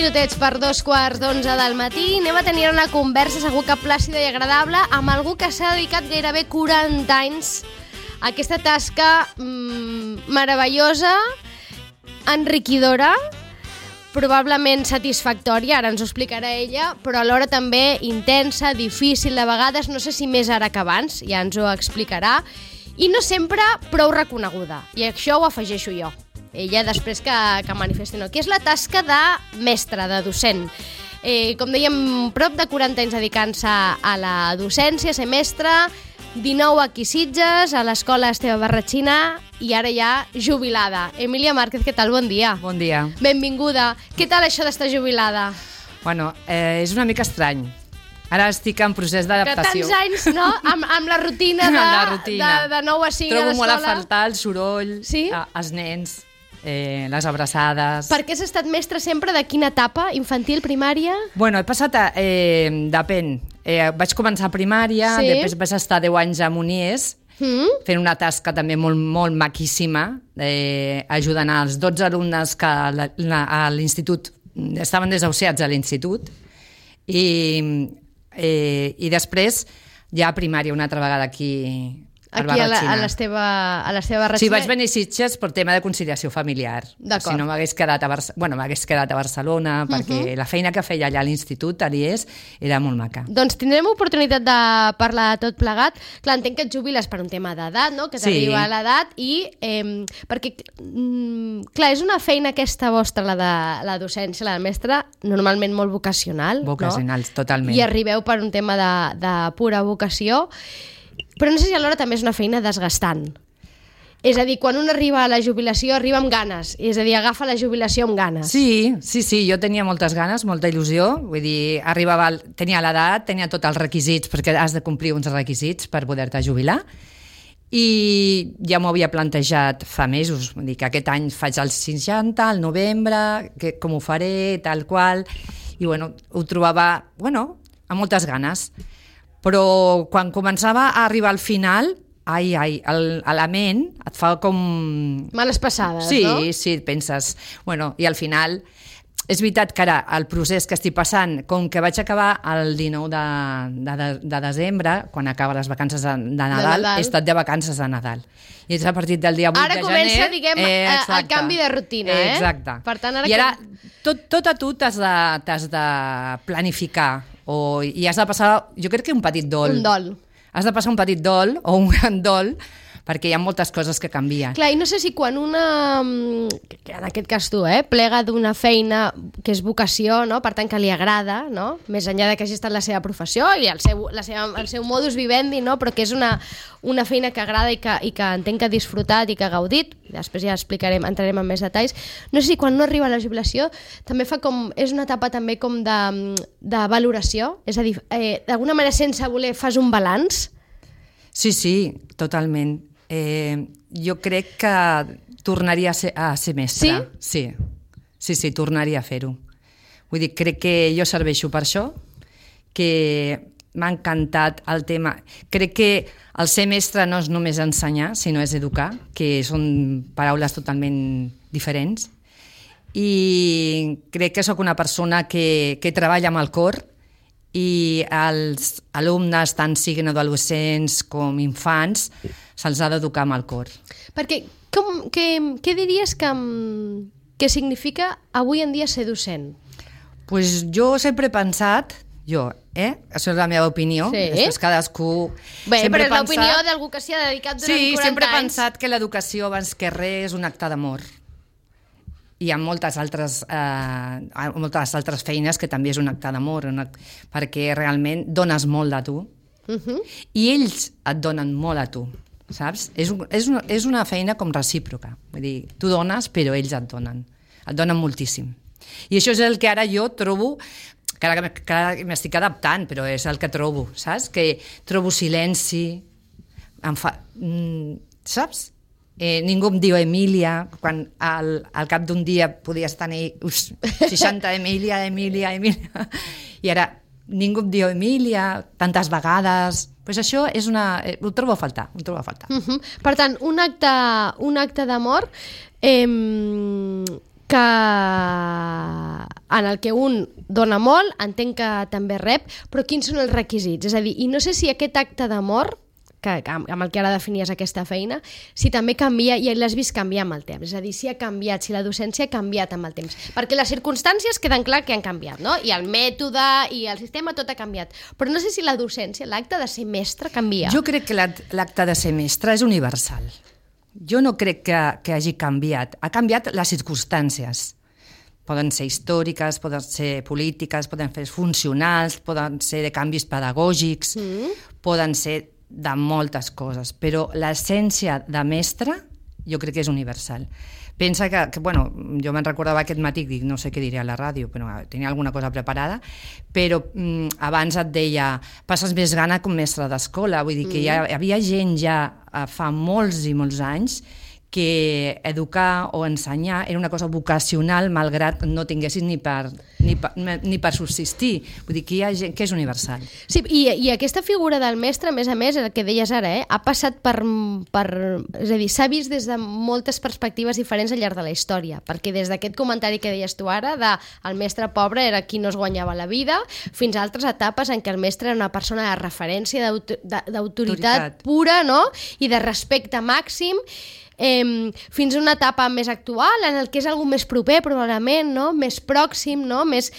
minutets per 2:15 del matí. Anem a tenir una conversa segur que plàcida i agradable amb algú que s'ha dedicat gairebé 40 anys a aquesta tasca meravellosa, enriquidora, probablement satisfactòria, ara ens ho explicarà ella, però alhora també intensa, difícil de vegades, no sé si més ara que abans, ja ens ho explicarà, i no sempre prou reconeguda, i això ho afegeixo jo. Ella després que manifesti no, que és la tasca de mestre, de docent. Com dèiem, prop de 40 anys dedicant-se a la docència, ser mestre, 19 aquí Sitges, a l'escola Esteve Barratxina i ara ja jubilada. Emília Márquez, què tal? Bon dia. Bon dia. Benvinguda. Què tal això d'estar jubilada? Bueno, és una mica estrany. Ara estic en procés d'adaptació. Que tants anys, no? Amb la rutina de 9 a 5 a l'escola. Trobo molt a faltar el soroll, sí? Els nens, les abraçades. Per què has estat mestre sempre? De quina etapa? Infantil, primària? Bueno, he passat, depèn. Vaig començar a primària, sí? Després vaig estar 10 anys a Munies, fent una tasca també molt, molt maquíssima, ajudant als 12 alumnes que a l'institut estaven desahuciats a l'institut, i després ja a primària una altra vegada aquí a l'Esteve Barratxina. Sí, vaig venir a Sitges per tema de conciliació familiar. D'acord. Si no m'hagués quedat a Barcelona, perquè la feina que feia allà a l'institut, a l'IES, era molt maca. Doncs tindrem oportunitat de parlar de tot plegat. Clar, entenc que et jubiles per un tema d'edat, no? Que t'arriba a l'edat i... perquè, clar, és una feina aquesta vostra, la de la docència, la de mestre, normalment molt vocacional, Vocacional, no? Totalment. I arribeu per un tema de pura vocació. Però no sé si alhora també és una feina desgastant. És a dir, quan un arriba a la jubilació, arriba amb ganes. És a dir, agafa la jubilació amb ganes. Sí, jo tenia moltes ganes, molta il·lusió. Vull dir, tenia l'edat, tenia tots els requisits, perquè has de complir uns requisits per poder-te jubilar. I ja m'ho havia plantejat fa mesos. Vull dir que aquest any faig els 60, al novembre, com ho faré, tal qual. I bueno, ho trobava, amb moltes ganes. Però quan començava a arribar al final, la ment et fa com... Males passades, no? Sí, penses... I al final, és veritat que ara el procés que estic passant, com que vaig acabar el 19 de desembre, quan acaba les vacances de Nadal, he estat de vacances de Nadal. I és a partir del dia 8 de gener... Ara comença, diguem, el canvi de rutina, Exacte. Per tant, I ara tot a tu t'has de planificar, i has de passar, jo crec que un petit dol. Un dol. Has de passar un petit dol o un gran dol, perquè hi ha moltes coses que canvien. Clar, i no sé si quan una, en aquest cas tu, plega d'una feina que és vocació, no? Per tant que li agrada, no? Més enllà de que hagi estat la seva professió i el seu modus vivendi, no? Però que és una feina que agrada i que entenc que ha disfrutat i que ha gaudit, després ja entrarem en més detalls. No sé si quan no arriba a la jubilació també és una etapa també com de valoració, és a dir, d'alguna manera sense voler fas un balanç? Sí, totalment. Jo crec que tornaria a ser mestra. Sí, tornaria a fer-ho. Vull dir, crec que jo serveixo per això, que m'ha encantat el tema. Crec que el ser mestre no és només ensenyar, sinó és educar, que són paraules totalment diferents. I crec que sóc una persona que treballa amb el cor, i els alumnes, tant siguin adolescents com infants, se'ls ha d'educar amb el cor. Perquè què diries que significa avui en dia ser docent? Pues jo sempre he pensat, això és la meva opinió, després cadascú... Bé, però és l'opinió d'algú que s'hi ha dedicat durant 40 anys. Sí, sempre he pensat que l'educació abans que res és un acte d'amor. Hi ha moltes altres feines que també és un acte d'amor, perquè realment dones molt de tu, i ells et donen molt a tu, saps? És una feina com recíproca, vull dir, tu dones però ells et donen moltíssim. I això és el que ara jo trobo, que ara m'estic adaptant, però és el que trobo, saps? Que trobo silenci, saps? Ningú em diu Emília, quan al cap d'un dia podies tenir 60 Emília, i ara ningú em diu Emília tantes vegades. Pues això ho trobo a faltar. Per tant, un acte d'amor que en el que un dona molt, entenc que també rep, però quins són els requisits? És a dir, i no sé si aquest acte d'amor, amb el que ara definies aquesta feina, si també canvia, i l'has vist canviar amb el temps, és a dir, si ha canviat, si la docència ha canviat amb el temps, perquè les circumstàncies queden clar que han canviat, no? I el mètode i el sistema, tot ha canviat, però no sé si la docència, l'acte de ser mestre canvia. Jo crec que l'acte de ser mestre és universal. Jo no crec que hagi canviat. Ha canviat les circumstàncies. Poden ser històriques, poden ser polítiques, poden ser funcionals, poden ser de canvis pedagògics, poden ser de moltes coses, però l'essència de mestre jo crec que és universal. Pensa que bueno, jo me'n recordava aquest matí, dic, no sé què diré a la ràdio, però tenia alguna cosa preparada, però abans et deia, passes més gana com mestre d'escola, vull dir que hi havia gent ja fa molts i molts anys que educar o ensenyar era una cosa vocacional malgrat no tinguessis ni per subsistir. Vull dir que hi ha gent que és universal. Sí, i aquesta figura del mestre, a més, el que deies ara, ha passat per... És a dir, s'ha vist des de moltes perspectives diferents al llarg de la història, perquè des d'aquest comentari que deies tu ara, de el mestre pobre era qui no es guanyava la vida, fins a altres etapes en què el mestre era una persona de referència, d'autoritat pura, no? I de respecte màxim, fins a una etapa més actual en el que és algú més proper probablement, no? Més pròxim, no? més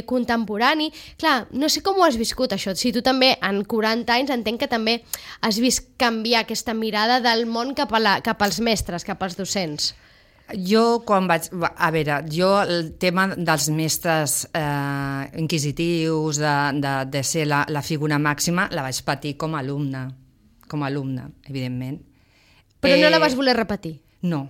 contemporani. Clar, no sé com ho has viscut això, si tu també en 40 anys entenc que també has vist canviar aquesta mirada del món cap als mestres, cap als docents. Jo quan vaig... A veure, jo el tema dels mestres inquisitius, de ser la figura màxima, la vaig patir com a alumne, evidentment. Però no la vas voler repetir? No,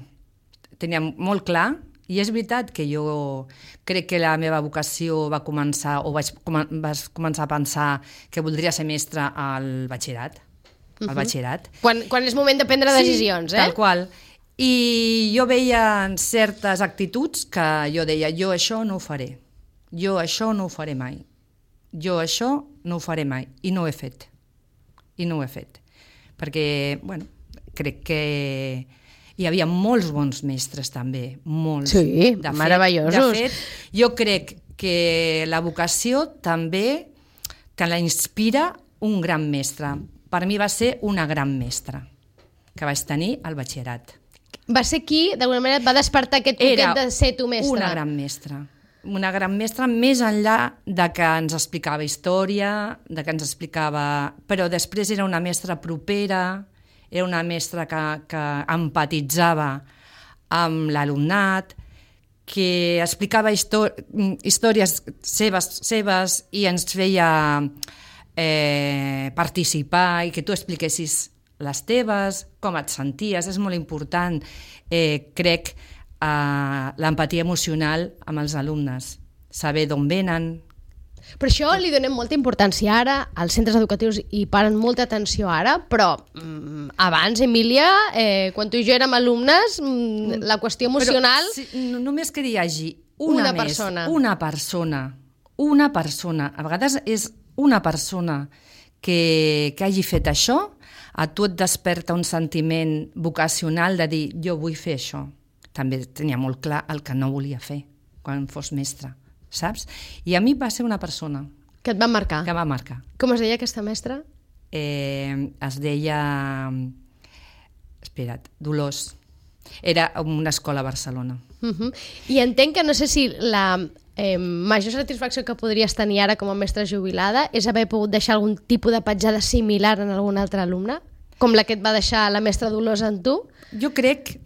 tenia molt clar, i és veritat que jo crec que la meva vocació va començar, o vaig començar a pensar que voldria ser mestre al batxillerat. Quan és moment de prendre decisions, sí, tal qual. I jo veia certes actituds que jo deia, jo això no ho faré, jo això no ho faré mai, jo això no ho faré mai, i no ho he fet. Perquè, bueno, crec que hi havia molts bons mestres també, molts. Sí, meravellosos. De fet, jo crec que la vocació també te la inspira un gran mestre. Per mi va ser una gran mestra que vaig tenir al batxillerat. Va ser qui, d'alguna manera, et va despertar aquest poquet de ser tu mestre? Una gran mestra, més enllà de que ens explicava història, de que ens explicava... Però després era una mestra propera, era una mestra que empatitzava amb l'alumnat, que explicava històries seves i ens feia participar i que tu expliquessis les teves, com et senties, és molt important, crec, l'empatia emocional amb els alumnes, saber d'on venen. Per això li donem molta importància ara, als centres educatius hi paren molta atenció ara, però abans, Emília, quan tu i jo érem alumnes, la qüestió emocional... Però, només que hi hagi una persona, a vegades és una persona que hagi fet això, a tu et desperta un sentiment vocacional de dir, jo vull fer això. També tenia molt clar el que no volia fer quan fos mestre, saps? I a mi va ser una persona... Que et va marcar? Que va marcar. Com es deia aquesta mestra? Es deia... Espera't, Dolors. Era una escola a Barcelona. I entenc que no sé si la major satisfacció que podries tenir ara com a mestra jubilada és haver pogut deixar algun tipus de petjada similar en algun altre alumne, com la que et va deixar la mestra Dolors en tu? Jo crec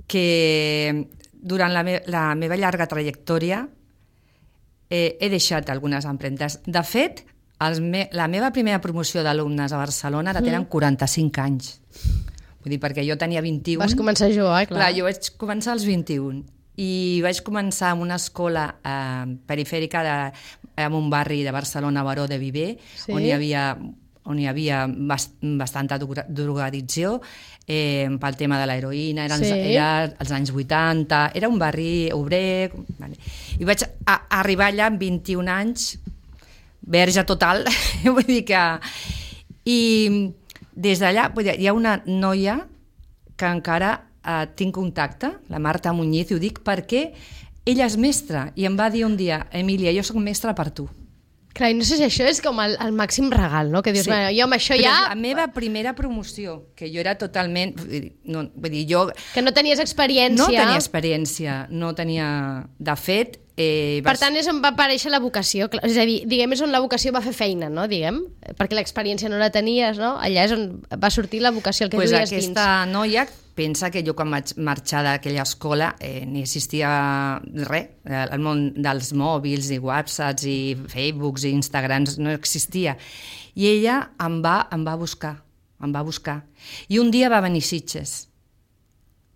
que durant la meva llarga trajectòria he deixat algunes empremtes. De fet, la meva primera promoció d'alumnes a Barcelona ara tenen 45 anys. Vull dir, perquè jo tenia 21. Vas començar a jugar, clar. Jo vaig començar als 21 i vaig començar en una escola perifèrica en un barri de Barcelona, Baró de Viver, on hi havia bastanta drogadicció pel tema de l'heroïna, era als anys 80, era un barri obrer, i vaig arribar allà amb 21 anys, verge total, vull dir que... I des d'allà hi ha una noia que encara tinc contacte, la Marta Muñiz, i ho dic perquè ella és mestra i em va dir un dia, Emília, jo soc mestra per tu. Clar, i no sé si això és com el màxim regal, no? Que dius, sí. Jo amb això però ja... la meva primera promoció, que jo era totalment... vull dir, jo... Que no tenies experiència. No tenia experiència, no tenia... De fet... Per tant, és on va aparèixer la vocació. És a dir, diguem, és on la vocació va fer feina, no? Diguem, perquè l'experiència no la tenies, no? Allà és on va sortir la vocació, el que duies dins. Aquesta noia pensa que jo quan vaig marxar d'aquella escola ni existia res, el món dels mòbils i whatsapps i facebooks i instagrams no existia. I ella em va buscar. I un dia va venir a Sitges.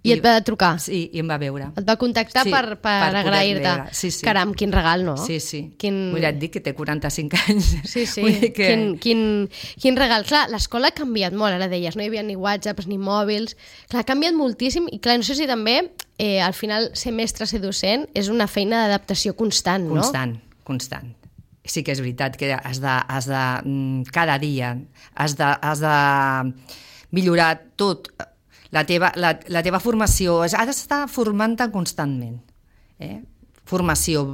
I et va trucar? Sí, i em va veure. Et va contactar per agrair-te. Sí. Caram, quin regal, no? Sí. Vull dir que té 45 anys. Sí. Que... Quin regal. Clar, l'escola ha canviat molt, ara deies, no hi havia ni whatsapps ni mòbils. Clar, ha canviat moltíssim i clar, no sé si també al final ser mestre, ser docent, és una feina d'adaptació constant, no? Constant. Sí que és veritat que has de cada dia has de millorar tot. La teva formació, has d'estar formant-te constantment. Formació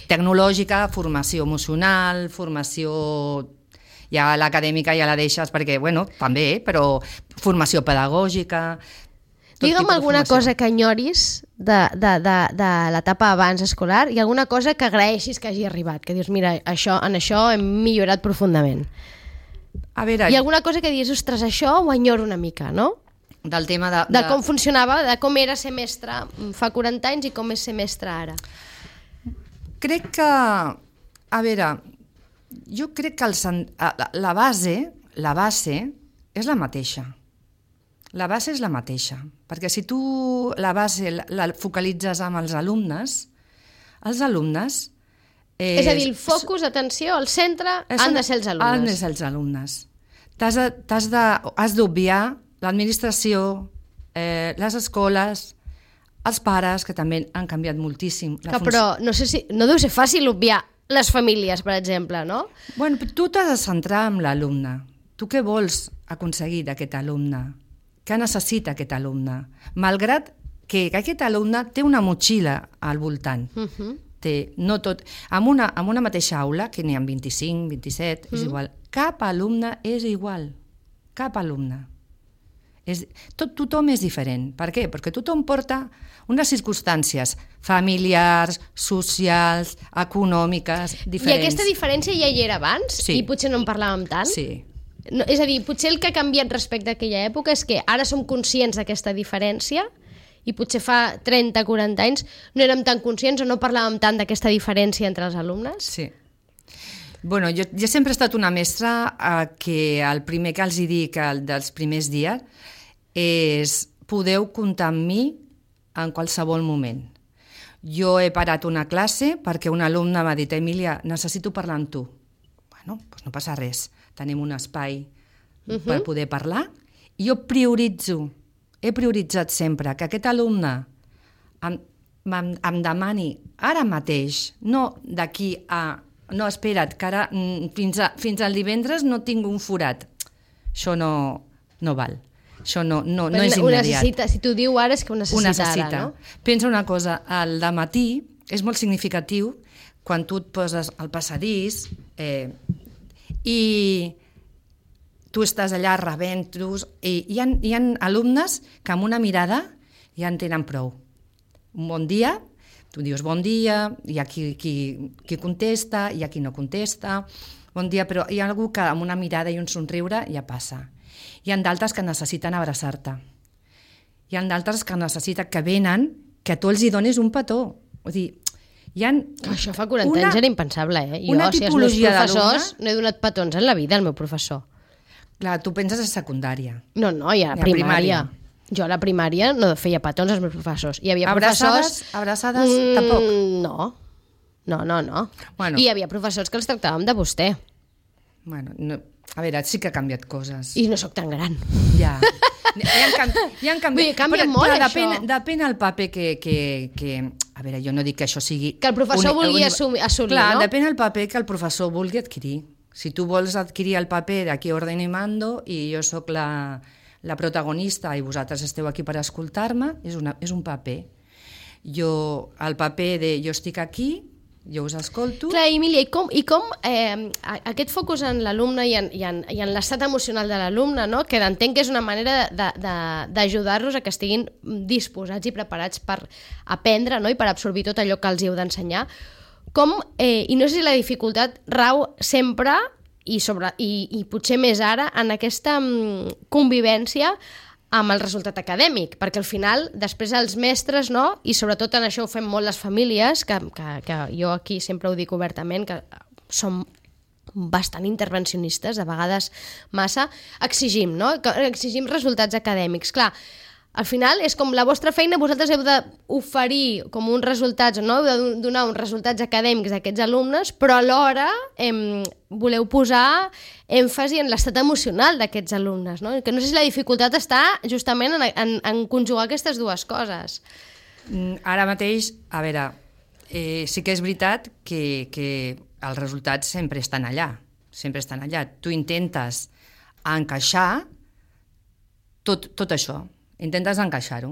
tecnològica, formació emocional, formació... Ja l'acadèmica ja la deixes perquè, bueno, també, però formació pedagògica... Digue'm alguna cosa que enyoris de l'etapa abans escolar i alguna cosa que agraeixis que hagi arribat, que dius, mira, en això hem millorat profundament. A veure, i alguna cosa que dius, ostres, això ho enyoro una mica, no? Del tema de com funcionava, de com era ser mestre fa 40 anys i com és ser mestre ara. Crec que... A veure, jo crec que la base és la mateixa. La base és la mateixa. Perquè si tu la base la focalitzes amb els alumnes... És a dir, el focus, atenció, al centre han de ser els alumnes. Han de ser els alumnes. Has d'obviar l'administració, les escoles, els pares, que també han canviat moltíssim. Però no deu ser fàcil obviar les famílies, per exemple, no? Bueno, tu t'has de centrar en l'alumne. Tu què vols aconseguir d'aquest alumne? Què necessita aquest alumne? Malgrat que aquest alumne té una motxilla al voltant. No tot, amb una mateixa aula, que n'hi ha 25, 27, és igual. Cap alumne és igual. Cap alumne. Tothom és diferent. Per què? Perquè tothom porta unes circumstàncies familiars, socials, econòmiques, diferents. I aquesta diferència ja hi era abans? Sí. I potser no en parlàvem tant? Sí. No, és a dir, potser el que ha canviat respecte a aquella època és que ara som conscients d'aquesta diferència i potser fa 30-40 anys no érem tan conscients o no parlàvem tant d'aquesta diferència entre els alumnes? Sí. Bueno, jo sempre he estat una mestra que el primer que els dic dels primers dies és podeu comptar amb mi en qualsevol moment. Jo he parat una classe perquè un alumne m'ha dit, Emília, necessito parlar amb tu. Bueno, doncs no passa res. Tenim un espai per poder parlar i jo he prioritzat sempre que aquest alumne em demani ara mateix, no d'aquí a... No, espera't, que ara fins al divendres no tinc un forat. Això no val. Això no és immediat. Si t'ho diu ara és que ho necessita ara, no? Pensa una cosa, el dematí és molt significatiu quan tu et poses al passadís i tu estàs allà rebent-los i hi ha alumnes que amb una mirada ja en tenen prou. Un bon dia, tu dius bon dia, hi ha qui contesta, hi ha qui no contesta, bon dia, però hi ha algú que amb una mirada i un somriure ja passa. Hi ha d'altres que necessiten abraçar-te. Hi ha d'altres que necessiten que venen, que tu els hi donis un petó. Vull dir, això fa 40 anys era impensable, eh? Jo, si els meus professors, no he donat petons en la vida al meu professor. Clar, tu penses a secundària. No, i a primària. Jo a la primària no feia petons als meus professors. Hi havia professors... Abraçades tampoc? No. Bueno. I hi havia professors que els tractàvem de vostè. Bueno, a veure, sí que ha canviat coses. I no sóc tan gran. Ja. Hi han canviat. Canvia molt, això. Depèn el paper que... A veure, jo no dic que això sigui... Que el professor vulgui assolir, clar, no? Depèn el paper que el professor vulgui adquirir. Si tu vols adquirir el paper d'aquí ordeno i mando i jo sóc la la protagonista, i vosaltres esteu aquí per escoltar-me, és un paper. El paper de jo estic aquí, jo us escolto... Clar, Emília, i com aquest focus en l'alumne i en l'estat emocional de l'alumne, no? Que entenc que és una manera d'ajudar-los a que estiguin disposats i preparats per aprendre, no? I per absorbir tot allò que els heu d'ensenyar. I no sé si la dificultat rau sempre, i potser més ara, en aquesta convivència amb el resultat acadèmic, perquè al final després els mestres, no? I sobretot en això ho fem molt les famílies, que jo aquí sempre ho dic obertament, que som bastant intervencionistes, a vegades massa, exigim, no? Exigim resultats acadèmics. Clar, al final és com la vostra feina, vosaltres heu d'oferir com uns resultats, no? Heu de donar uns resultats acadèmics d'aquests alumnes, però alhora voleu posar èmfasi en l'estat emocional d'aquests alumnes, no? Que no sé si la dificultat està justament en conjugar aquestes dues coses. Ara mateix, a veure, sí que és veritat que els resultats sempre estan allà, sempre estan allà. Tu intentes encaixar tot això, intentes encaixar-ho.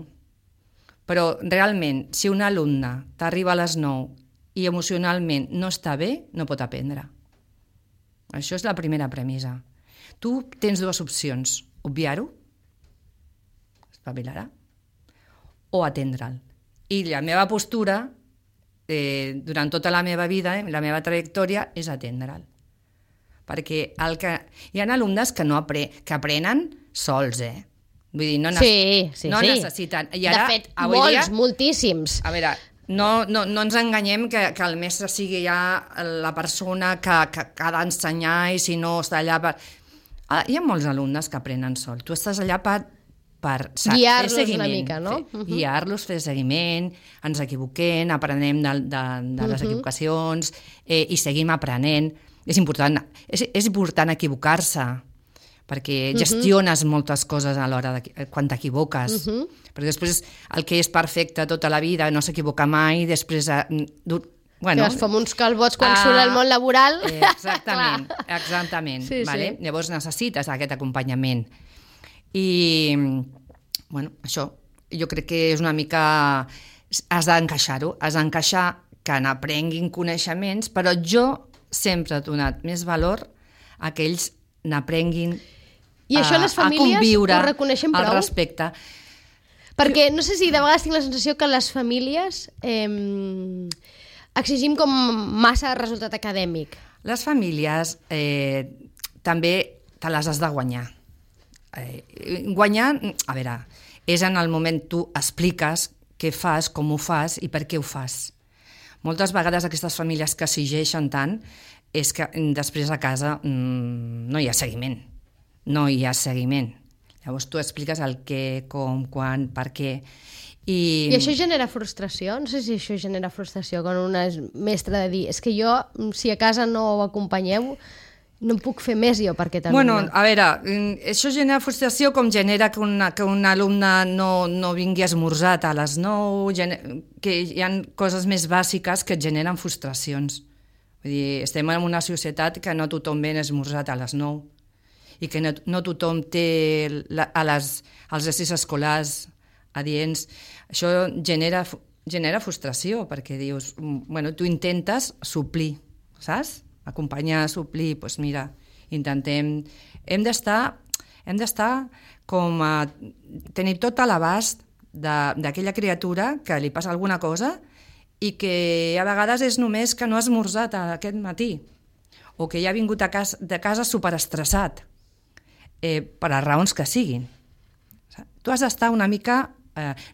Però realment, si un alumne t'arriba a les 9 i emocionalment no està bé, no pot aprendre. Això és la primera premissa. Tu tens dues opcions, obviar-ho, espavilar-ho, o atendre'l. I la meva postura, durant tota la meva vida, la meva trajectòria, és atendre'l. Perquè hi ha alumnes que aprenen sols, Vull dir, no necessiten. I ara, de fet, molts, moltíssims. A veure, no ens enganyem que el mestre sigui ja la persona que ha d'ensenyar i si no està allà per... Hi ha molts alumnes que aprenen sol. Tu estàs allà per guiar-los una mica, no? Guiar-los, fer seguiment, ens equivoquem, aprenem de les equivocacions i seguim aprenent. És important equivocar-se, perquè gestiones moltes coses a l'hora quan t'equivoques. Perquè després el que és perfecte tota la vida no s'equivoca mai, després... Que es fem uns calbots quan surt al món laboral. Exactament. Vale? Llavors necessites aquest acompanyament. I, això, jo crec que és una mica... Has d'encaixar-ho, has d'encaixar que n'aprenguin coneixements, però jo sempre he donat més valor a que ells n'aprenguin i això les famílies ho reconeixen prou? El respecte. Perquè no sé si de vegades tinc la sensació que les famílies exigim com massa resultat acadèmic. Les famílies també te les has de guanyar. Guanyar, a veure, és en el moment tu expliques què fas, com ho fas i per què ho fas. Moltes vegades aquestes famílies que exigeixen tant és que després a casa no hi ha seguiment. No hi ha seguiment. Llavors tu expliques el què, com, quan, per què. I això genera frustració? No sé si això genera frustració quan una és mestra de dir és que jo, si a casa no ho acompanyeu, no puc fer més jo per aquest alumne. Bueno, a veure, això genera frustració com genera que un alumne no vingui esmorzat a les 9, que hi ha coses més bàsiques que et generen frustracions. Vull dir, estem en una societat que no tothom ven esmorzat a les 9 i que no tothom té els exercicis escolars adients. Això genera frustració perquè dius, tu intentes suplir, saps? Acompanyar, suplir, doncs mira, intentem... Hem d'estar com a tenir tot a l'abast d'aquella criatura que li passa alguna cosa i que a vegades és només que no ha esmorzat aquest matí o que ja ha vingut de casa superestressat per les raons que siguin. Tu has d'estar una mica...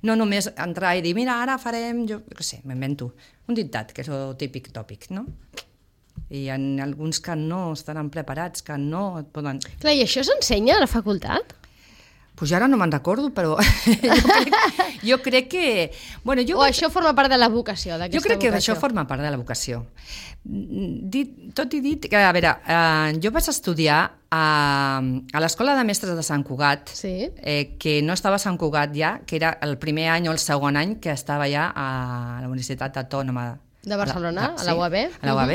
no només entrar i dir, mira, ara farem... Jo què sé, m'invento un dictat, que és el típic tòpic, no? I hi ha alguns que no estaran preparats, que no et poden... Clar, i això s'ensenya a la facultat? Pues jo ara no me'n recordo, però jo crec que... Bueno, això forma part de la vocació, d'aquesta vocació? Jo crec que això forma part de la vocació. Tot i dit que, a veure, jo vaig estudiar a l'Escola de Mestres de Sant Cugat, que no estava a Sant Cugat ja, que era el primer any o el segon any que estava ja a la Universitat Autònoma de Barcelona, a la UAB. A la UAB.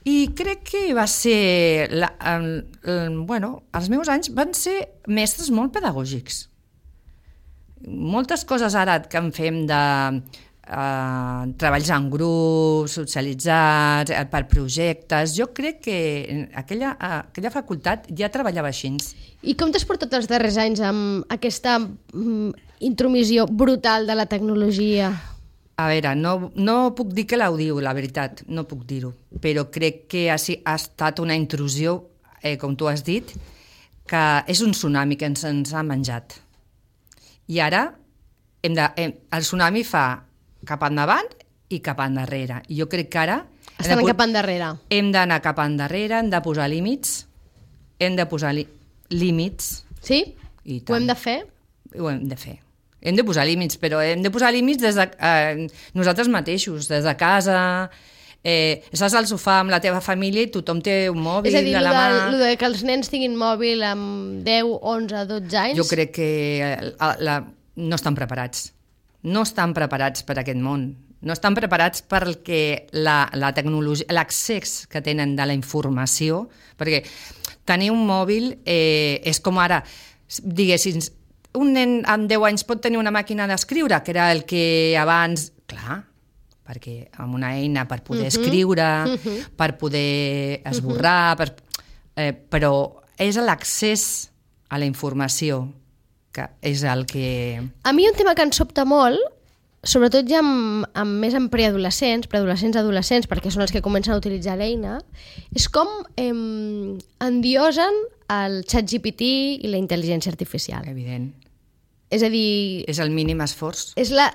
I crec que va ser... els meus anys van ser mestres molt pedagògics. Moltes coses ara que en fem de treballs en grup, socialitzats, per projectes, jo crec que aquella facultat ja treballava així. I com t'has portat els darrers anys amb aquesta intromissió brutal de la tecnologia? A veure, no puc dir que l'audiu, la veritat, no puc dir-ho, però crec que ha estat una intrusió, com tu has dit, que és un tsunami que ens ha menjat. I ara el tsunami fa cap endavant i cap endarrere. I jo crec que ara... Estan cap endarrere. Hem d'anar cap endarrere, hem de posar límits, Sí? Ho hem de fer? Ho hem de fer. Hem de posar límits, però hem de posar límits des de nosaltres mateixos, des de casa, estàs al sofà amb la teva família i tothom té un mòbil a dir, a la mà. És a dir, que els nens tinguin mòbil amb 10, 11, 12 anys... Jo crec que no estan preparats. No estan preparats per aquest món. No estan preparats perquè la tecnologia, l'accés que tenen de la informació, perquè tenir un mòbil és com ara, diguéssim, un nen amb 10 anys pot tenir una màquina d'escriure, que era el que abans... Clar, perquè amb una eina per poder escriure, per poder esborrar, però és l'accés a la informació que és el que... A mi un tema que em sobta molt, sobretot ja més en preadolescents, adolescents, perquè són els que comencen a utilitzar l'eina, és com endiosen el ChatGPT i la intel·ligència artificial. Evident. És a dir... És el mínim esforç. És la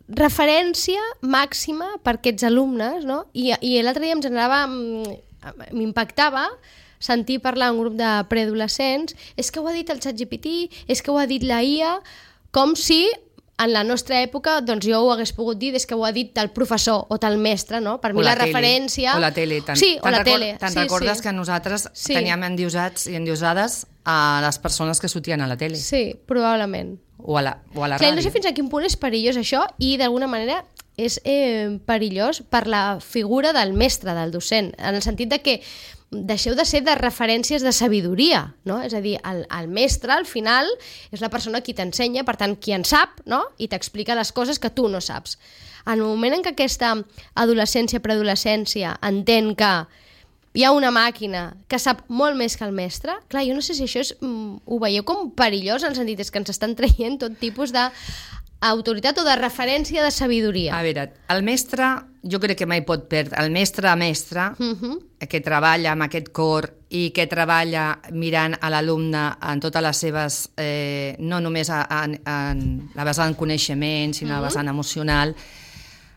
referència màxima per aquests alumnes, no? I l'altre dia em generava... m'impactava sentir parlar un grup de preadolescents, és que ho ha dit el ChatGPT, és que ho ha dit la IA, com si en la nostra època doncs jo ho hagués pogut dir des que ho ha dit el professor o el mestre, no? Per mi la referència... O la tele. Te'n recordes que nosaltres teníem endiosats i endiosades a les persones que sortien a la tele? Sí, probablement. O a la ràdio. No sé fins a quin punt és perillós això i d'alguna manera és perillós per la figura del mestre, del docent, en el sentit de que deixeu de ser de referències de sabidoria, no? És a dir, el mestre al final és la persona qui t'ensenya, per tant, qui en sap, no? I t'explica les coses que tu no saps. En el moment en què aquesta adolescència, preadolescència entén que hi ha una màquina que sap molt més que el mestre, clar, jo no sé si això ho veieu com perillós, en el sentit és que ens estan traient tot tipus d'autoritat o de referència de sabidoria. A veure, el mestre, jo crec que mai pot perdre. El mestre, que treballa amb aquest cor i que treballa mirant a l'alumne en totes les seves, no només en la vessant coneixement, sinó la vessant emocional,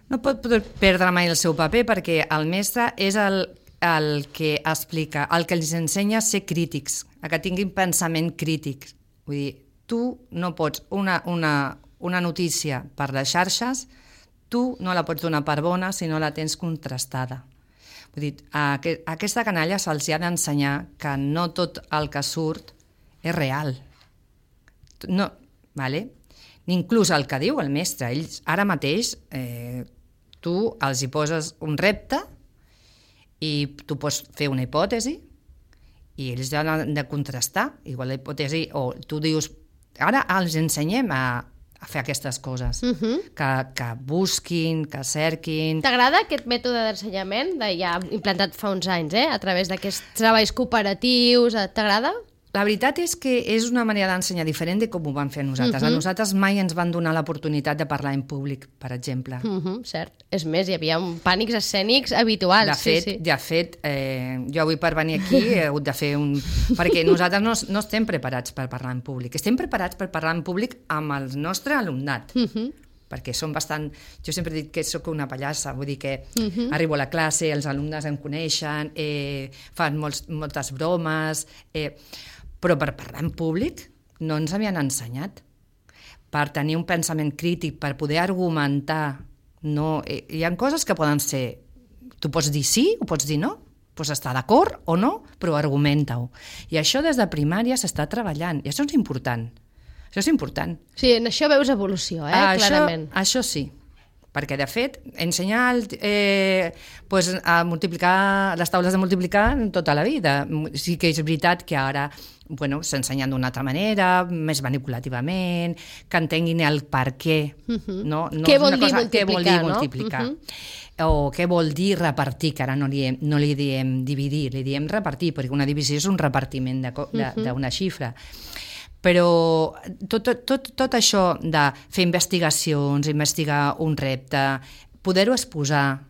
no pot perdre mai el seu paper perquè el mestre és el que explica, el que els ensenya a ser crítics, a que tinguin pensament crític. Vull dir, tu no pots una notícia per les xarxes, tu no la pots donar per bona si no la tens contrastada. Vull dir, a aquesta canalla se'ls ha d'ensenyar que no tot el que surt és real. No, vale? Inclús el que diu el mestre, ells ara mateix tu els hi poses un repte i tu pots fer una hipòtesi i ells han de contrastar igual la hipòtesi, o tu dius ara els ensenyem a fer aquestes coses, que busquin, que cerquin. T'agrada aquest mètode d'ensenyament ja implantat fa uns anys, a través d'aquests treballs cooperatius? T'agrada? La veritat és que és una manera d'ensenyar diferent de com ho van fer a nosaltres. A nosaltres mai ens van donar l'oportunitat de parlar en públic, per exemple. Cert. És més, hi havia pànics escènics habituals. De fet, jo avui per venir aquí he hagut de fer perquè nosaltres no estem preparats per parlar en públic. Estem preparats per parlar en públic amb el nostre alumnat. Perquè som bastant... Jo sempre he dit que sóc una pallassa, vull dir que arribo a la classe, els alumnes em coneixen, fan moltes bromes... Però per parlar en públic no ens havien ensenyat. Per tenir un pensament crític, per poder argumentar, no, hi ha coses que poden ser... Tu pots dir sí o pots dir no, pots estar d'acord o no, però argumenta-ho. I això des de primària s'està treballant, i això és important. Això és important. Sí, en això veus evolució, clarament. Això sí, Perquè, de fet, ensenyar a multiplicar les taules de multiplicar tota la vida. Sí que és veritat que ara s'ensenyen d'una altra manera, més manipulativament, que entenguin el per què. No? Què vol dir multiplicar? O què vol dir repartir, que ara no li diem dividir, li diem repartir, perquè una divisió és un repartiment d'una xifra. Però tot això de fer investigacions, investigar un repte, poder-ho exposar...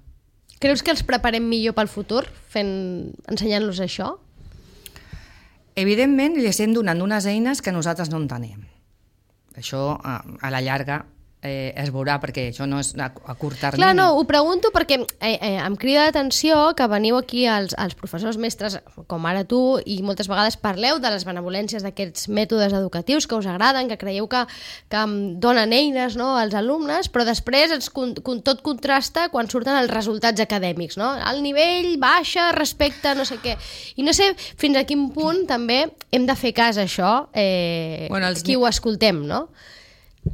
Creus que els preparem millor pel futur, ensenyant-los això? Evidentment, li estem donant unes eines que nosaltres no en tenim. Això, a la llarga, es veurà, perquè això no és a curt termini. Clar, no, ho pregunto perquè em crida l'atenció que veniu aquí els professors mestres, com ara tu, i moltes vegades parleu de les benevolències d'aquests mètodes educatius que us agraden, que creieu que donen eines, no, als alumnes, però després tot contrasta quan surten els resultats acadèmics, no? El nivell baixa respecte no sé què. I no sé fins a quin punt també hem de fer cas a això, qui ho escoltem, no?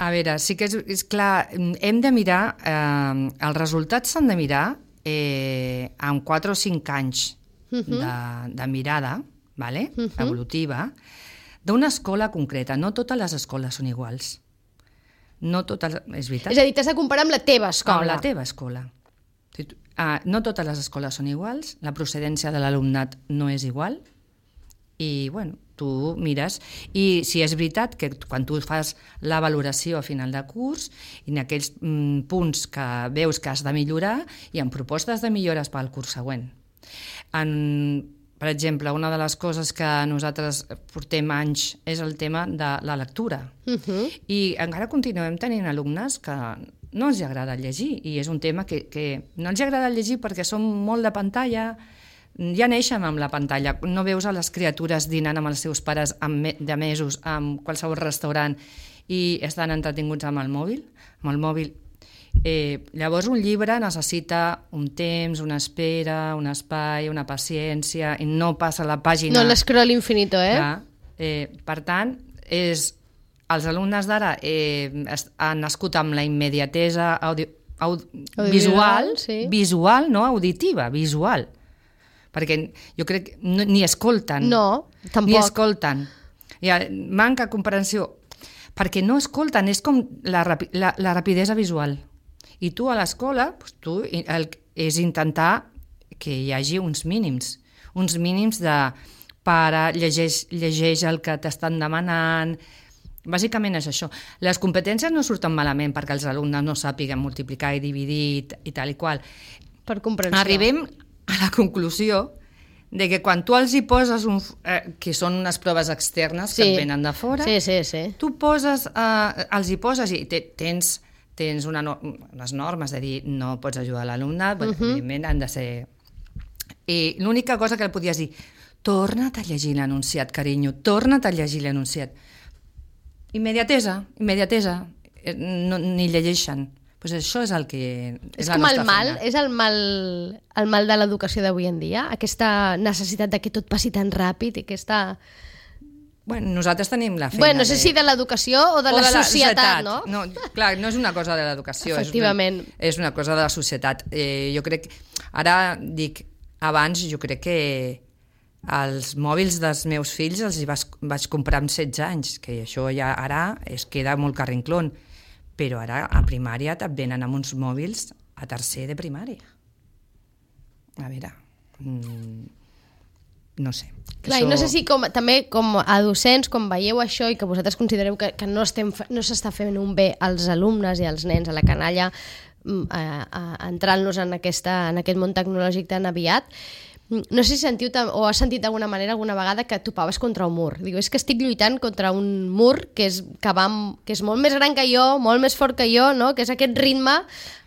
A veure, sí que és clar, hem de mirar, els resultats s'han de mirar amb 4 o 5 anys de mirada evolutiva d'una escola concreta. No totes les escoles són iguals. No totes, és veritat. És a dir, t'has de comparar amb la teva escola. Amb la teva escola. No totes les escoles són iguals, la procedència de l'alumnat no és igual, i tu mires, i si és veritat que quan tu fas la valoració a final de curs i en aquells punts que veus que has de millorar, hi ha propostes de millores pel curs següent. Per exemple, una de les coses que nosaltres portem anys és el tema de la lectura. I encara continuem tenint alumnes que no els agrada llegir, i és un tema que no els agrada llegir perquè són molt de pantalla. Ja neixen amb la pantalla, no veus a les criatures dinant amb els seus pares de mesos en qualsevol restaurant i estan entretinguts amb el mòbil. Llavors un llibre necessita un temps, una espera, un espai, una paciència, i no passa la pàgina... No l'escroll infinito, Per tant, els alumnes d'ara han nascut amb la immediatesa visual, no auditiva, visual. Perquè jo crec que ni escolten. No, tampoc. Ni escolten. Manca comprensió. Perquè no escolten, és com la rapidesa visual. I tu a l'escola, és intentar que hi hagi uns mínims de pare, llegeix el que t'estan demanant. Bàsicament és això. Les competències no surten malament perquè els alumnes no sàpiguen multiplicar i dividir i tal i qual. Per comprensió. Arribem a la conclusió de que quan tu els hi poses, que són unes proves externes que et venen de fora, tu els hi poses i tens unes normes de dir no pots ajudar l'alumnat, evidentment han de ser... I l'única cosa que li podies dir, torna't a llegir l'anunciat, carinyo, torna't a llegir l'anunciat. Immediatesa, ni llegeixen. Pues això és el que és la nostra feina. És el mal de l'educació d'avui en dia? Aquesta necessitat de que tot passi tan ràpid i aquesta... nosaltres tenim la feina... no sé si de l'educació o de la societat, no? No, clar, no és una cosa de l'educació. Efectivament. És una cosa de la societat. Jo crec... Ara dic, abans jo crec que els mòbils dels meus fills els vaig comprar amb 16 anys, que això ja ara es queda molt carrinclón. Però ara a primària et venen amb uns mòbils a tercer de primària. A veure, no sé. Clar, i no sé si també com a docents, com veieu això i que vosaltres considereu que no s'està fent un bé als alumnes i als nens, a la canalla, entrant-los en aquest món tecnològic tan aviat, no sé si sentiu o has sentit d'alguna manera alguna vegada que topaves contra un mur. Diu, és que estic lluitant contra un mur que és molt més gran que jo, molt més fort que jo, no? Que és aquest ritme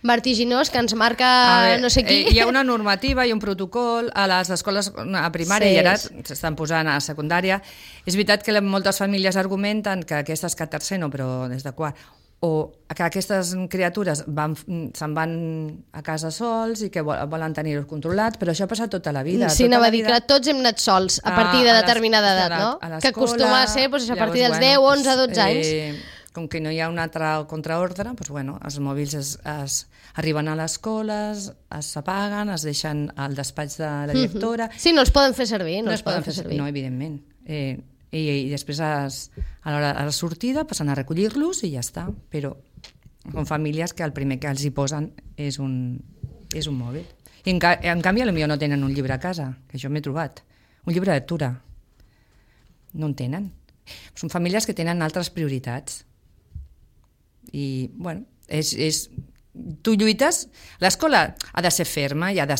vertiginós que ens marca no sé qui. Hi ha una normativa i un protocol a les escoles a primària i ara s'estan posant a secundària. És veritat que moltes famílies argumenten que aquestes que a tercer no, però des de quart, o que aquestes criatures se'n van a casa sols i que volen tenir-ho controlat, però això ha passat tota la vida. Sí, anava a dir que tots hem anat sols a partir de determinada edat, no? Que acostuma a ser a partir dels 10, 11, 12 anys. com que no hi ha un altre contraordre, doncs, bueno, els mòbils arriben a les escoles, s'apaguen, es deixen al despatx de la directora... Sí, no els poden fer servir. No els poden fer servir. No, evidentment. I després a la sortida passen a recollir-los i ja està. Però són famílies que el primer que els hi posen és un mòbil. I en canvi potser no tenen un llibre a casa, que això m'he trobat. Un llibre de lectura. No en tenen. Són famílies que tenen altres prioritats. I, bueno, tu lluites... L'escola ha de ser ferma i ha de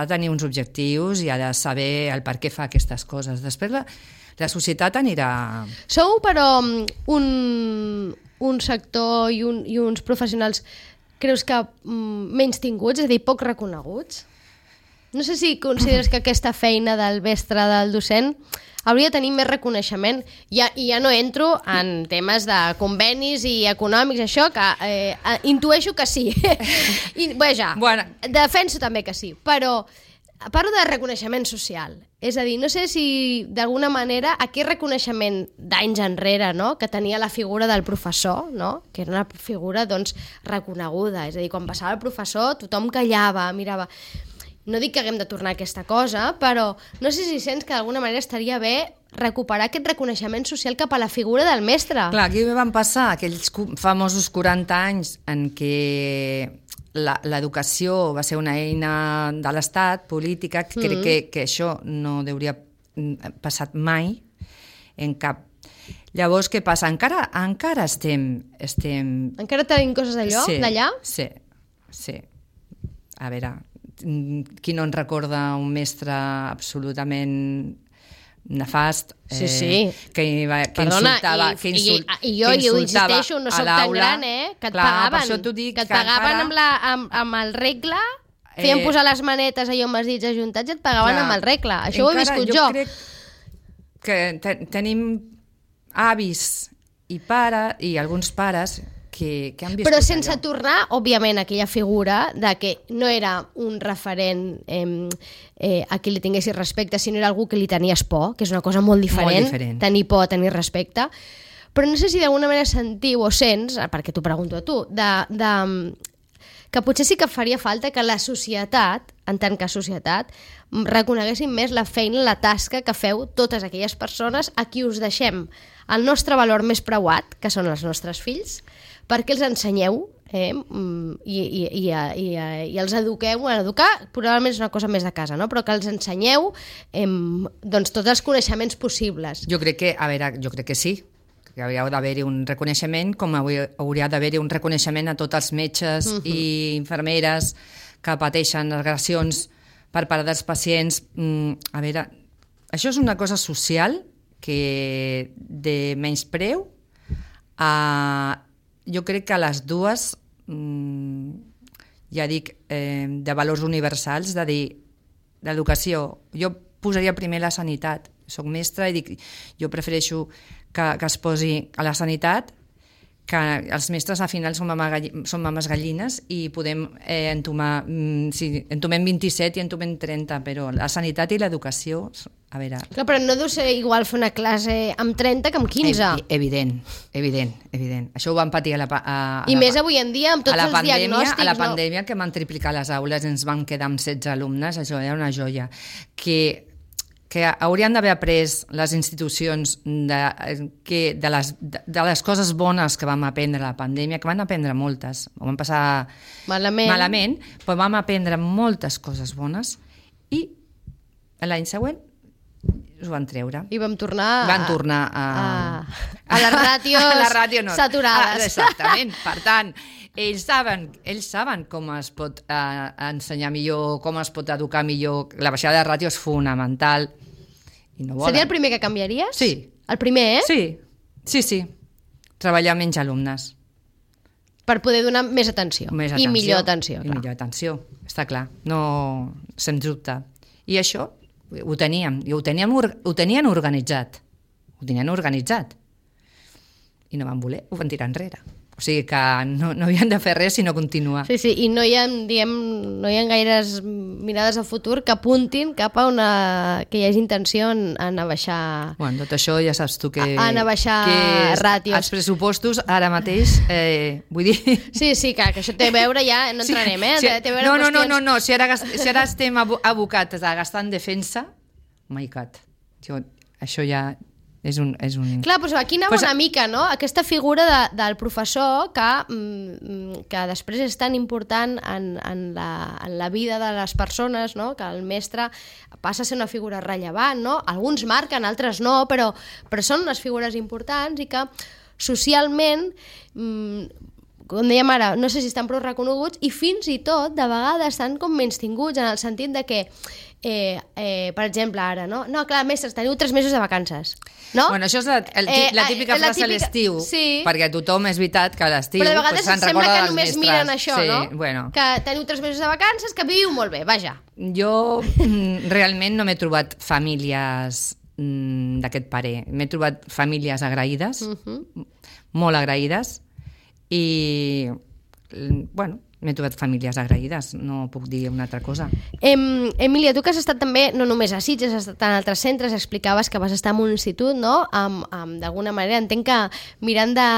tenir uns objectius i ha de saber el per què fa aquestes coses. Després la societat anirà... Sou, però, un sector i uns professionals, creus que menys tinguts, és a dir, poc reconeguts? No sé si consideres que aquesta feina del mestre, del docent, hauria de tenir més reconeixement. I ja no entro en temes de convenis i econòmics, això, que intueixo que sí. Defenso també que sí, però parlo de reconeixement social. És a dir, no sé si d'alguna manera aquest reconeixement d'anys enrere, no?, que tenia la figura del professor, no?, que era una figura doncs, reconeguda. És a dir, quan passava el professor tothom callava, mirava... No dic que haguem de tornar a aquesta cosa, però no sé si sents que d'alguna manera estaria bé recuperar aquest reconeixement social cap a la figura del mestre. Clar, aquí van passar aquells famosos 40 anys en què l'educació va ser una eina de l'Estat, política, que crec que això no hauria passat mai en cap. Llavors, què passa? Encara estem... Encara tenim coses d'allà? Sí. A veure... qui no en recorda un mestre absolutament nefast, que insultava, i jo ho insisteixo, no soc tan gran, que et pagaven amb el regle, feien posar les manetes allò amb els dits ajuntats i et pagaven amb el regle. Això ho he viscut jo. Jo crec que tenim avis i alguns pares que han viscut però sense tornar, òbviament, a aquella figura de que no era un referent a qui li tinguessis respecte, sinó era algú que li tenies por, que és una cosa molt diferent. Tenir por, tenir respecte. Però no sé si d'alguna manera sentiu o sents, perquè t'ho pregunto a tu, que potser sí que faria falta que la societat, en tant que societat, reconeguessin més la feina, la tasca que feu totes aquelles persones a qui us deixem el nostre valor més preuat, que són els nostres fills, perquè els ensenyeu i els eduqueu. Educar probablement és una cosa més de casa, no? Però que els ensenyeu doncs, tots els coneixements possibles. Jo crec que sí, que hauria d'haver-hi un reconeixement, com hauria d'haver-hi un reconeixement a tots els metges i infermeres que pateixen agressions per part dels pacients. A veure, això és una cosa social que de menyspreu jo crec que les dues, ja dic, de valors universals, de dir, l'educació, jo posaria primer la sanitat. Soc mestra i dic, jo prefereixo que es posi a la sanitat, que els mestres al final són mames gallines i podem entomar, entomem 27 i entomem 30, però la sanitat i l'educació, a veure... Clar, però no deu ser igual fer una classe amb 30 que amb 15. Evident. Això ho vam patir I més avui en dia, amb tots els diagnòstics. A la pandèmia, que van triplicar les aules i ens vam quedar amb 16 alumnes, això era una joia. Que haurien d'haver après les institucions de les coses bones que vam aprendre a la pandèmia, que van aprendre moltes, ho vam passar malament, però vam aprendre moltes coses bones i l'any següent us van treure. I vam tornar a les ràtios saturades. Exactament. Per tant, ells saben com es pot ensenyar millor, com es pot educar millor. La baixada de ràtio és fonamental. I no volen. Seria el primer que canviaries? Sí. El primer, Sí. Treballar menys alumnes. Per poder donar més atenció. I millor atenció. I millor atenció, està clar. No, sens dubte. I això ho teníem. I ho tenien organitzat. I no van voler, ho van tirar enrere. O sigui que no havien de fer res sinó continuar. Sí, sí, i no hi ha, diguem, no hi ha gaires mirades a futur que apuntin cap a que hi hagi intenció en abaixar... Bueno, tot això ja saps tu que... En abaixar ràtios. Els pressupostos ara mateix, vull dir... Sí, que això té a veure ja, no entrarem, Sí. Té a veure qüestions... No, si ara estem abocats a gastar en defensa, oh my God, això ja... És un... Clar, però aquí anava una mica, no? Aquesta figura del professor que després és tan important en la vida de les persones, no? Que el mestre passa a ser una figura rellevant, no? Alguns marquen, altres no, però són unes figures importants i que socialment... com dèiem ara, no sé si estan prou reconeguts i fins i tot, de vegades, estan com menystinguts en el sentit de que per exemple, ara, no? No, clar, mestres, teniu 3 mesos de vacances, no? Bueno, això és la típica frase a l'estiu, sí. Perquè tothom és veritat que a l'estiu però de vegades se'n sembla recorda que dels només mestres. miren això, sí, no? Bueno. Que teniu 3 mesos de vacances, que viviu molt bé, vaja. Jo realment no m'he trobat famílies d'aquest parer. M'he trobat famílies agraïdes, molt agraïdes, i bueno, m'he trobat famílies agraïdes, no puc dir una altra cosa. Emília, tu que has estat també, no només a Sitges, has estat en altres centres, explicaves que vas estar en un institut, no? D'alguna manera, entenc que mirant de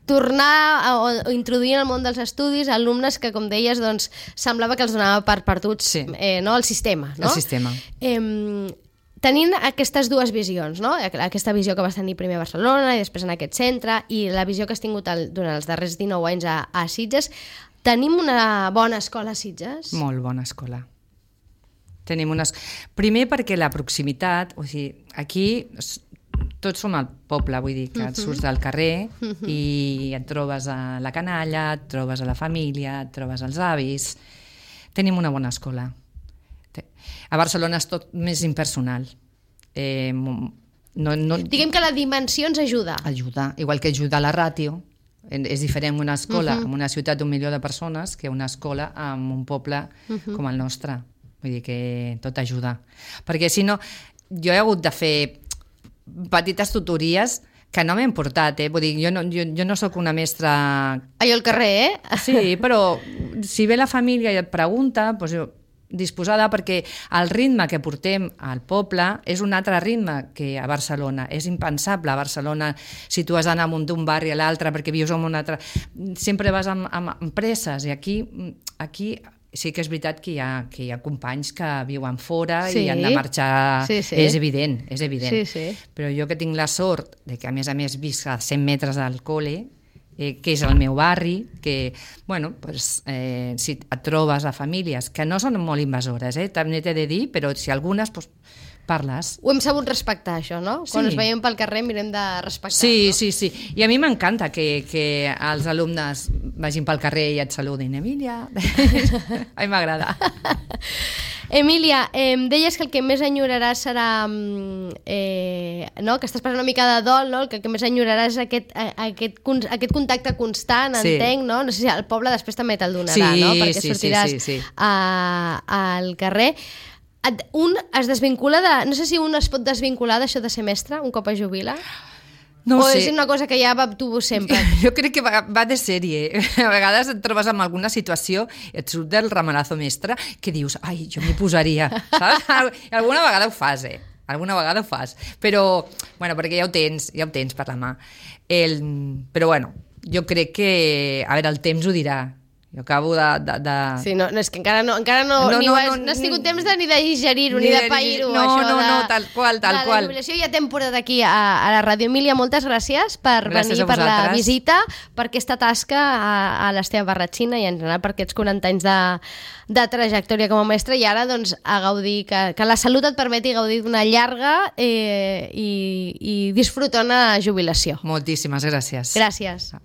tornar o introduir en el món dels estudis alumnes que, com deies, doncs, semblava que els donava per perduts, sí. No? El sistema, no? El sistema. Tenint aquestes dues visions, no? Aquesta visió que vas tenir primer a Barcelona i després en aquest centre i la visió que has tingut durant els darrers 19 anys a Sitges, tenim una bona escola a Sitges? Molt bona escola. Tenim primer perquè la proximitat, o sigui, aquí tots som al poble, vull dir, que et surts del carrer i et trobes a la canalla, et trobes a la família, et trobes als avis. Tenim una bona escola. A Barcelona és tot més impersonal. Diguem que la dimensió ens ajuda. Ajuda, igual que ajuda la ràtio. És diferent una escola en una ciutat d'1 milió de persones que una escola en un poble com el nostre. Vull dir que tot ajuda. Perquè si no, jo he hagut de fer petites tutories que no m'he portat, Vull dir, jo no sóc una mestra... Allò al carrer, Sí, però si ve la família i et pregunta, doncs jo disposada, perquè el ritme que portem al poble és un altre ritme que a Barcelona. És impensable a Barcelona si tu has d'anar d'un barri a l'altre perquè vius en un altre... Sempre vas amb presses i aquí sí que és veritat que hi ha companys que viuen fora i han de marxar. Sí. És evident. Sí. Però jo que tinc la sort de que a més visc a 100 metres del col·le, que és el meu barri, que, bueno, pues, si et trobes a famílies que no són molt invasores, també t'he de dir, però si algunes, pues, parles. Ho hem sabut respectar, això, no? Quan ens veiem pel carrer mirem de respectar. Sí, no? sí. I a mi m'encanta que els alumnes vagin pel carrer i et saludin. Emília. A mi m'agrada. Emília, deies que el que més enyoraràs serà no? Que estàs passant una mica de dol, no? Que el que més enyoraràs és aquest contacte constant, entenc, no? No sé si el poble després també te'l donarà, no? Perquè sortiràs al carrer. Es desvincula de... No sé si un es pot desvincular d'això de ser mestre un cop es jubila? No o sé. És una cosa que ja va tu sempre? Jo crec que va de sèrie. A vegades et trobes en alguna situació i et surt del ramalazo mestre que dius, ai, jo m'hi posaria, saps? I alguna vegada ho fas, Alguna vegada ho fas. Però, bueno, perquè ja ho tens per la mà. Però, bueno, jo crec que, a veure, el temps ho dirà. Jo acabo de... Sí, no, és que encara no has tingut temps ni de digerir-ho, ni de pair-ho. No, tal qual. La jubilació ja t'hem portat aquí a la Ràdio. Emília, moltes gràcies per venir, per la visita, per aquesta tasca a l'Esteve Barratxina i en general per aquests 40 anys de trajectòria com a mestre i ara doncs a gaudir, que la salut et permeti gaudir d'una llarga i disfrutona jubilació. Moltíssimes gràcies. Gràcies.